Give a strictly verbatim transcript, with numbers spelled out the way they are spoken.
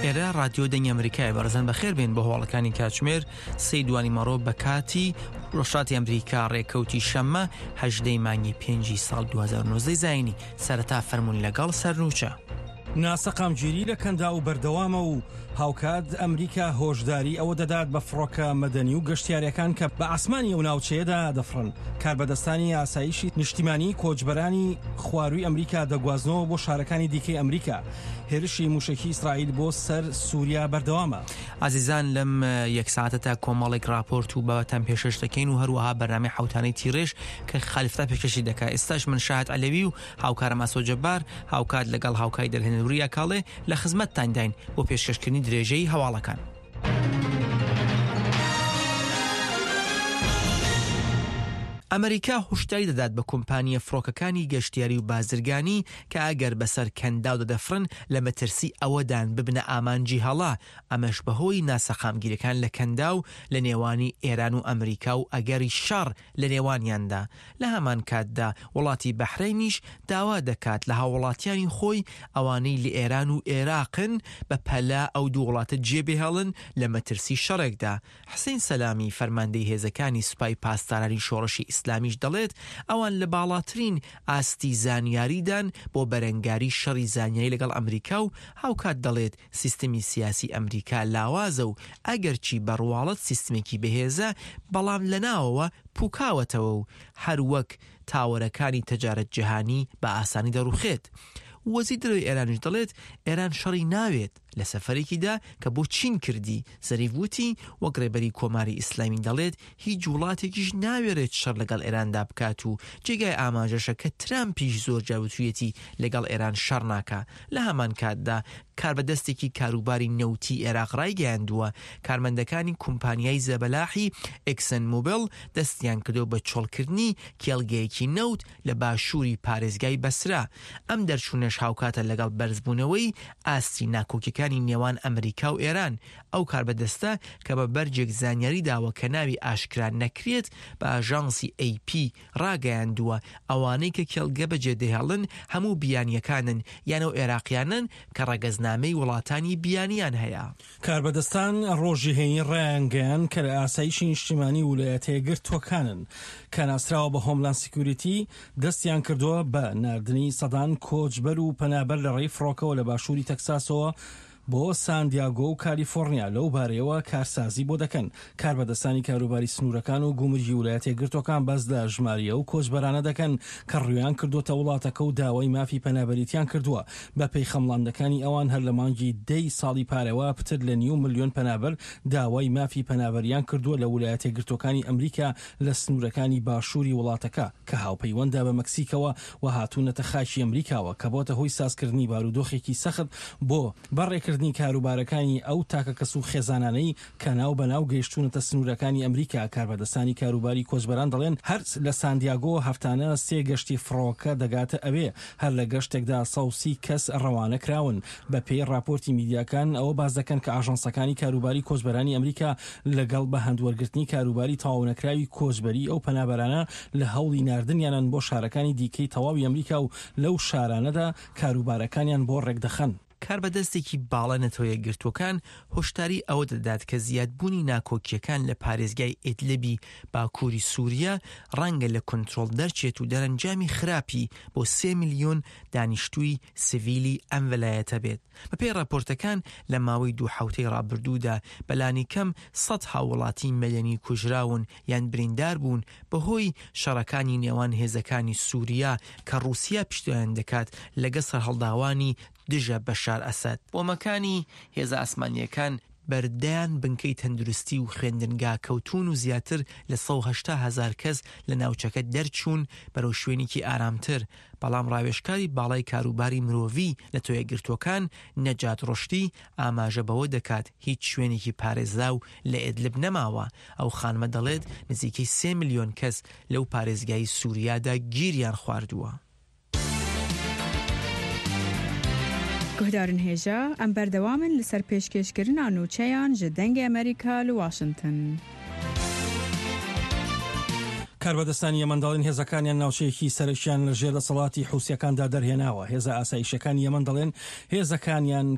ئێرە ڕادیۆ دەنگی ئەمریکایە. بەڕێزان بەخێر بێن بۆ هەواڵەکانی کاتژمێر سێی دوانی مەڕۆ بە کاتی ڕۆژهەڵاتی ئەمریکا، ڕێکەوتی شەممە هەژدەی مانگی پێنجی ساڵ دوو هەزار و نۆزدە زایینی. سەرەتا فەرموون لەگەڵ سەرنوچە. ناسەقامگیری لە کەنداو بەردەوامە و هاوکات ئەمریکا هۆشداری ئەوە دەدات بە فڕۆکە مەدەنی و گەشتیارەکان کە بە ئاسمانی ئەو ناوچەیەدا دەفڕن. کاربەدەستانی ئاسایشی نیشتیمانی کۆچبەرانی خواروی ئەمریکا دەگوازنەوە بۆ شارەکانی دیکەی ئەمریکا. هێرشی موشەکی ئیسرائیل بۆ سەر سووریا بەردەوامە. ئازیزان لەم یەک ساعتە تا کۆمەڵێک راپۆرت و بابەتان پێشکەش دەکەین و هەروەها بەرنامەی حوتانەی تیڕێژ کە خالیفتا پێشکەشی دەکات. ئێستاش من شاهد عەلەوی و هاوکارم ئاسۆ جەبار هاوکات لەگەڵ هاوکاری دەرهێنەر وریا کاڵێ لە خزمەتتانداین بۆ پێشکەشکردنی درێژەی هەواڵەکان. ئەمریکا هۆشداری دەدات بە کۆمپانیە فڕۆکەکانی گەشتیاری و بازرگانی کە ئەگەر بەسەر کەنداودا دەفڕن لە مەترسی ئەوەدان ببنە ئامانجی هەڵا، ئەمەش بەهۆی ناسەقامگیرەکان لە کەنداو لە نێوانی ئێران و ئەمریکا و ئەگەری شەڕ لە نێوانیاندا. لە هەمان کاتدا وڵاتی بەحرەینیش داوا دەکات لە هاووڵاتیانی خۆی ئەوانەی لە ئێران و عێراقن بە پەلە ئەو دوو وڵاتە جێبهێڵن لە مەترسی شەڕێکدا. حسین سەلامی فەرماندەی هێزەکانی سوپای پاسدارانی شۆڕشی ئیسلامیش دەڵێت ئەوان لە باڵاترین ئاستی زانیاریدان بۆ بەرەنگاری شەڕی زانیاری لەگەڵ ئەمریکا و هاوکات دەڵێت سیستمی سیاسی ئەمریکا لاوازە و ئەگەرچی بەڕواڵەت سیستمێکی بەهێزە بەڵام لەناوەوە پوکاوەتەوە و هەر وەک تاوەرەکانی تەجارەت جیهانی بە ئاسانی دەڕوخێت. وەزیر دەرەوەی ئێرانیش دەڵێت ئێران شەڕی ناوێت. لە سەفەرێکیدا کە بۆ چین کردی زەریف وتی وەک ڕێبەری کۆماری ئیسلامی دەڵێت هیچ وڵاتێکیش ناوێرێت شەڕ لەگەڵ ئێراندا بکات و جێگای ئاماژەشە کە ترامپیش زۆر جار وتویەتی لەگەڵ ئێران شەڕ ناکا. لە هەمان کاتدا کاربەدەستێکی کاروباری نەوتی عێراق ڕایگەیاندووە کارمەندەکانی کۆمپانیای زەبەلاحی ئێکسن مۆبیل دەستیان کردو بە چۆڵکردنی کێڵگەیەکی نەوت لە باشووری پارێزگای بەسرە. ئەم دەرچوونەش هاوکاتە لەگەڵ بەرزبوونەوەی ئاستی ناکۆکیەکانی نێوان ئەمریکا و ئێران. ئەو کاربەدەستە کە بە بەرجێک زانیاری داوە کە ناوی ئاشکرا نەکرێت بە ئاژانسی ئەی پی ڕاگەیاندووە ئەوانەی کە کێڵگە بەجێدەهێڵن هەموو بیانیەکانن یان ئەو عێراقیانن کە ڕەگەزنامەی وڵاتانی بیانیان هەیە. کاربەدەستان ڕۆژی هەینی ڕایانگەیان کە لە ئاسایشی نیشتیمانی ولایەتە یەکگرتووەکانن کە ناسراوە بە Homeland Security دەستیان کردووە بە ناردنی سەدان کۆچبەر و پەنابەر لە ڕێی فڕۆکەوە لە باشووری تەکساسەوە بۆ ساندیاگۆ و کالیفۆرنیا. لەو بارەیەوە کارسازی بۆ دەکەن. کاربەدەستانی کاروباری سنوورەکان و گومرگی ولایەتە یەکگرتووەکان باس لە ژماری ئەو کۆچبەرانە دەکەن کە ڕویان کردوتە وڵاتەکە و داوای مافی پەنابەریتیان کردووە. بە پێی خەمڵاندەکانی ئەوان هەر لە مانگی دەی ساڵی پارەوە پتر لە نیو ملیۆن پەنابەر داوای مافی پەنابەریان کردووە لە ولایەتە یەکگرتووەکانی ئەمریکا لە سنوورەکانی باشووری وڵاتەکە کە هاوپەیوەندە بە مەکسیکەوە و هاتوونەتە خاکی ئەمریکاوە کە بۆتە هۆی سازکردنی بارودۆخێکی سەخت بۆ بەڕێکردنی کاروبارەکانی ئەو تاکە کەس و خێزانانەی کە ناو بەناو گەیشتونەتە سنوورەکانی ئەمریکا. کاربەدەستانی کاروباری کۆچبەران دەڵێن هەر لە ساندیاگۆ هەفتانە سێ گەشتی فڕۆکە دەگاتە ئەوێ، هەر لە گەشتێکدا سەد و سی کەس ڕەوانە کراون. بە پێی راپۆرتی میدیاکان ئەوە باس دەکەن کە ئاژانسەکانی کاروباری کۆچبەرانی ئەمریکا لەگەڵ بە هەندوەرگرتنی کاروباری تەواونەکراوی کۆچبەری ئەو پەنابەرانە لە هەوڵی ناردنیانن بۆ شارەکانی دیکەی تەواوی ئەمریکا و لەو شارانەدا کاروبارەکانیان بۆ ڕێکدەخەن. کاربەدەستێکی باڵا نەتەوە یەکگرتووەکان هۆشداری ئەوە دەدات کە زیادبوونی ناکۆکیەکان لە پارێزگای ئیدلبی باکووری سووریا ڕەنگە لە کنترۆڵ دەرچێت و دەرەنجامی خراپی بۆ سێ ملیۆن دانیشتووی سڤیلی ئەم وەلایەتە بێت. بەپێی راپۆرتەکان لە ماوەی دوو حوتەی ڕابردوودا بەلانی کەم سەد هاووڵاتی مەدەنی کوژراون یان بریندار بوون بەهۆی شەڕەکانی نێوان هێزەکانی سووریا کە ڕووسیا پشتیوان دەکات لەگەڵ سەرهەڵداوانی دژە بەشار ئەسەد. بۆمەکانی هێزە ئاسمانیەکان بەردەیان بنکەی تەندروستی و خوێندنگا کەوتون و زیاتر لە سەد و هەشتا هەزار کەس لە ناوچەکە دەرچوون بەرەو شوێنێکی ئارامتر. بەڵام ڕاوێژکاری باڵای کاروباری مرۆڤی نەتەوە یەکگرتووەکان نەجات ڕشتی ئاماژە بەوە دەکات هیچ شوێنێکی پارێزراو لە ئێدلب نەماوە. ئەو خانمە دەڵێت نزیکەی سێ ملیۆن کەس لەو پارێزگای سووریادا گیریان خواردووە. گوهدارن هێژا ئەم بەردەوامن لەسەر پێشکێشکردنا نوچەیان ji دەنگê ئەمریکا li واشنگتن. کاربەدەستانی یەمەن دەڵێن هێزەکانیان ناوچەیەکی سەرەکیان لە ژێر دەسەڵاتی حوسیەکاندا دەرهێناوە. هێزە ئاسایشەکانی یەمەن دەڵێن هێزەکانیان